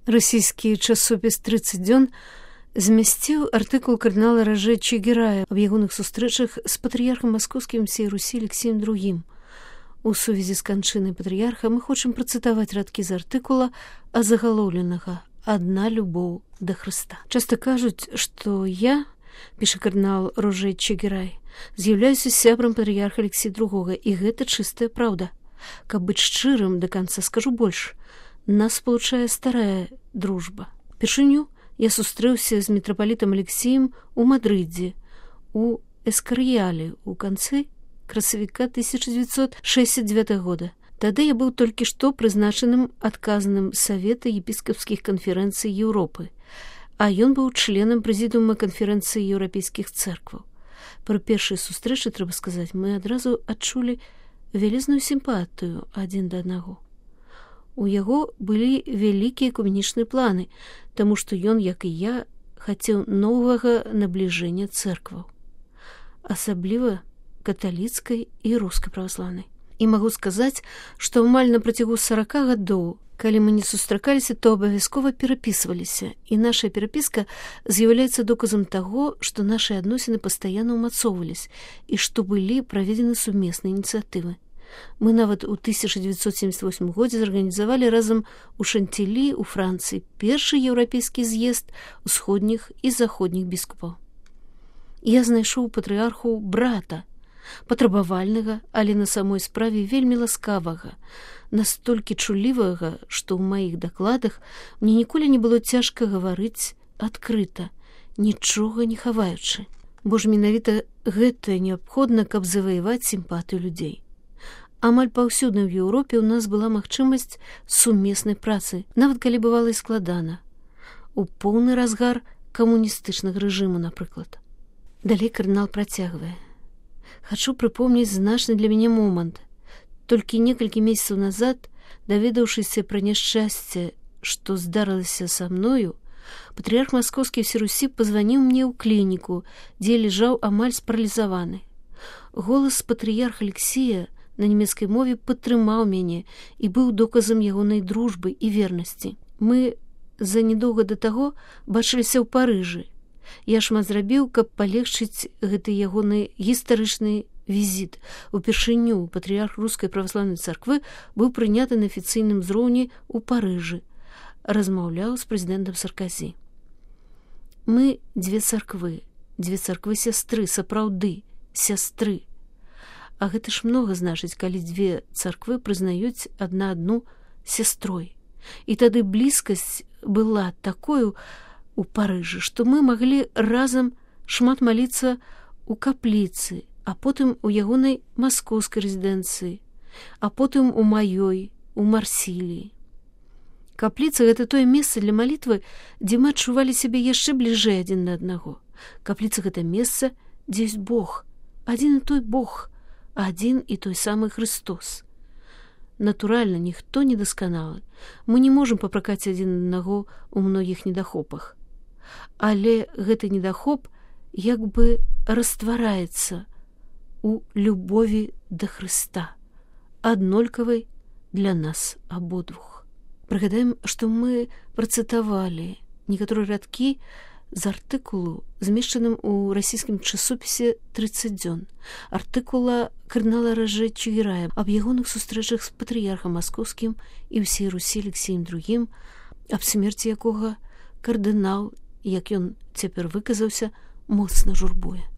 Расійскі часопіс «30 дзён» змясціў артыкул кардынала Роже Чигирая аб ягоных сустрэчах з патрыярхам маскоўскім всей Русі Алексеем II. У сувязі з канчынай патрыярха мы хочам працытаваць радкі з артыкула азагалоўленага «Адна любоў да Хрыста». Часта кажуць, што я, піша кардынал Роже Чигирай, з'яўляюся сябрам патрыярха Алексея II, і гэта чыстая праўда. Каб быць шчырым да канца, скажу больш. Нас спалучае старая дружба. Першыню я сустрэўся з мітрапалітам Алексеем у Мадрыдзе, у Эскарыяле ў канцы красавіка 1969 года. Тады я быў толькі што прызначаным адказным Савета епіскапскіх канферэнцый Еўропы, а ён быў членам прэзідыума канферэнцыі еўрапейскіх цэркваў. Пры першай сустрэчы, трэба сказаць, мы адразу адчулі вялізную сімпатыю адзін да аднаго. У яго былі вялікія экуменічныя планы, таму што ён, як і я, хацеў новага набліжэння цэркваў, асабліва каталіцкай і рускай праваслаўнай. І магу сказаць, што амаль на працягу 40 гадоў, калі мы не сустракаліся, то абавязкова перапісваліся, і наша перапіска з'яўляецца доказам таго, што нашы адносіны пастаянна ўмацоўваліся і што былі праведзены сумесныя ініцыятывы. Мы нават у 1978 годзе зарганізавалі разам у Шантілі, у Францыі, першы еўрапейскі з'езд усходніх і заходніх біскупаў. Я знайшоў патрыярху брата, патрабавальнага, але на самой справе вельмі ласкавага, настолькі чулівага, што ў маіх дакладах мне ніколі не было цяжка гаварыць адкрыта, нічога не хаваючы. Бо ж менавіта гэта неабходна, каб заваяваць сімпатыю людзей. Амаль паўсюдна ў Еўропе ў нас была магчымасць сумеснай працы, нават калі бывала і складана. У поўны разгар камуністычнага рэжыму, напрыклад. Далей кардынал працягвае. Хачу прыпомніць значны для мяне момант. Толькі некалькі месяцаў назад, даведаўшыся пра няшчасце, што здарылася са мною, патрыярх маскоўскі ўсёй Русі пазваніў мне ў клініку, дзе лежаў амаль спаралізаваны. Голас патрыярха Алексея на нямецкай мове падтрымаў мяне і быў доказам ягонай дружбы і вернасці. Мы за нядоўга да таго бачыліся ў Парыжы. Я шмат зрабіў, каб палегчыць гэты ягоны гістарычны візіт. Упершыню патрыярх рускай праваслаўнай царквы быў прыняты на афіцыйным узроўні ў Парыжы. Размаўляў з прэзідэнтам Сарказі. Мы дзве царквы сястры, сапраўды, сястры. А гэта ж многа значыць, калі дзве царквы прызнаюць адна адну сястрой. І тады блізкасць была такою у Парыжы, што мы маглі разам шмат маліцца ў капліцы, а потым у ягонай маскоўскай рэзідэнцыі, а потым у маёй, у Марсіліі. Капліца — гэта тое месца для малітвы, дзе мы адчувалі сябе яшчэ бліжэй адзін да аднаго. Капліца — гэта месца, дзе ёсць Бог, адзін і той Бог, адзін і той самы Христос. Натуральна, ніхто не дасканалы. Мы не можам папракаць адзін аднаго ў многіх недахопах. Але гэты недахоп як бы раствараецца у любові да Хрыста, аднолькавай для нас абодвух. Прыгадаем, што мы працытавалі некаторыя радкі з артыкулу, змешчаным у расійскім часопісе «30 дзён», артыкула кардынала Роже Чигирая аб ягоных сустрэчах з патрыярхам маскоўскім і ўсей Русі Алексеем II, аб смерці якога кардынал, як ён цяпер выказаўся, моцна журбуе.